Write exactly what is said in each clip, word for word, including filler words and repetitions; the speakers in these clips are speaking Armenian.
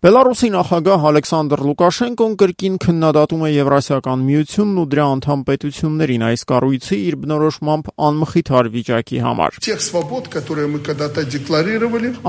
Բելարուսի նախագահ Ալեքսանդր Լուկաշենկոն կրկին քննադատում է Եվրասիական միությունն ու դրա անդամ պետություններին այս կառույցի իր բնորոշմամբ անմխիթար վիճակի համար։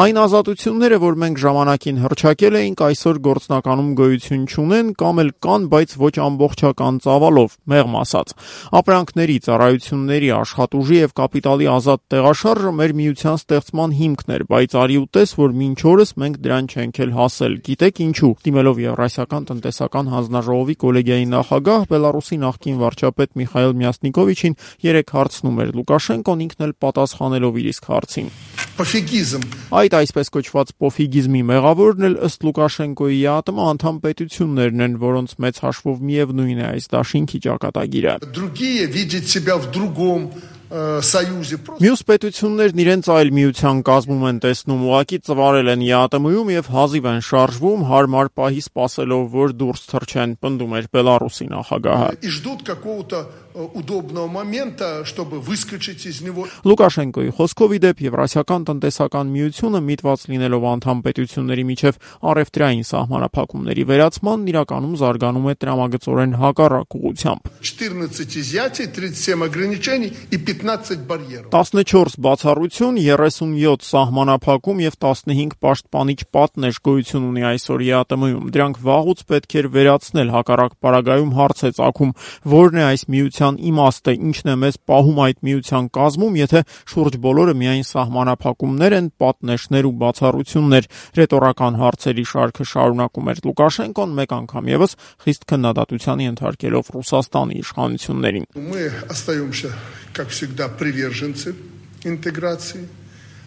Այն ազատությունները, որ մենք ժամանակին հռչակել էինք, այսօր գործնականում գոյություն չունեն կամ էլ կան, բայց ոչ ամբողջական ծավալով, մեղմ ասած։ Ապրանքների, ծառայությունների, աշխատուժի եւ կապիտալի ազատ տեղաշարժը մեր միության ստեղծման հիմքն էր, բայց արի ու տես, որ մինչ օրս մենք դրան չենք էլ հասել։ Գիտեք ինչու, դիմելով Եվրասիական տնտեսական հանձնաժողովի կոլեգիայի նախագահ Բելարուսի նախկին վարչապետ Միխայիլ Մյասնիկովիչին երեք հարցնում էր Լուկաշենկոն, ինքն էլ պատասխանելով իր իսկ հարցին։ Այդ այսպես կոչված պոֆիգիզմի մեղավորն էլ ըստ Լուկաշենկոյի ատմը անդամ պետություններն են, որոնց մեծ հաշվով միևնույն է այս դաշինքի ճակատագիրը։ Մյուս պետություններն իրենց այլ միության կազմում են տեսնում, ուղղակի ծվարել են ԵԱՏՄ-ում եւ հազիվ են շարժվում, հարմար պահի սպասելով, որ դուրս թռչեն, պնդում էր Բելարուսի նախագահը։ Լուկաշենկոյի խոսքով ի դեպ Եվրասիական տնտեսական միությունը միտված լինելով անդամ պետությունների միջև առևտրային սահմանափակումների վերացման իրականում զարգանում է տրամագծորեն հակառակ ուղղությամբ։ տասնչորս բացառություն, երեսունյոթ սահմանափակում եւ տասնհինգ պաշտպանիչ պատնեշ գոյություն ունի այսօր ԵԱՏՄ-ում։ Դրանք վաղուց պետք էր վերացնել, հակառակ պարագայում հարց է ծագում, որն է այս միության իմաստը, ինչն է մեզ պահում այդ միության կազմում, եթե շուրջ բոլորը միայն սահմանափակումներ են, պատնեշներ ու բացառություններ։ Ռետորական հարցերի շարքը շարունակում էր Լուկաշենկոն, մեկ անգամ եւս խիստ քննադատության ենթարկելով Ռուսաստանի իշխանություններին։ Как всегда, приверженцы интеграции,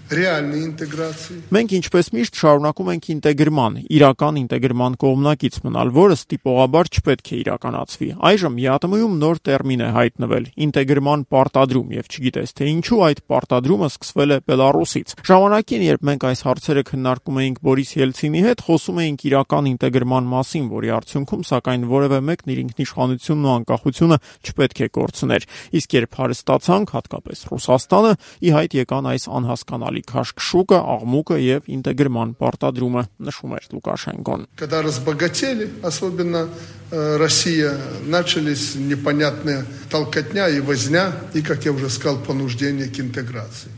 реальной интеграции. Մենք ինչպես միշտ շարունակում ենք ինտեգրման, իրական ինտեգրման կողմնակից մնալ, որը ստիպողաբար չպետք է իրականացվի։ Այժմ ԵԱՏՄ-ում նոր տերմին է հայտնվել՝ ինտեգրման պարտադրում, եւ չգիտես թե ինչու այդ պարտադրումը սկսվել է Բելարուսից։ Ժամանակին, երբ մենք այս հարցերը քննարկում էինք Բորիս Ելցինի հետ, խոսում էինք իրական ինտեգրման մասին, որի արդյունքում սակայն որևէ մեկն իր ինքնիշխանությունն ու անկախությունը չպետք է կորցներ։ Իսկ երբ հարստացանք, հատկապես Ռուսաստանը, ի հայտ եկան այս անհասկանալի քաշքշուկը, աղմուկը եւ ինտեգրման պարտադրումը, նշում էր Լուկաշենկոն։ Когда разбогатели, особенно Россия, начались непонятные толкотня и возня, и, как я уже сказал, понуждение к интеграции.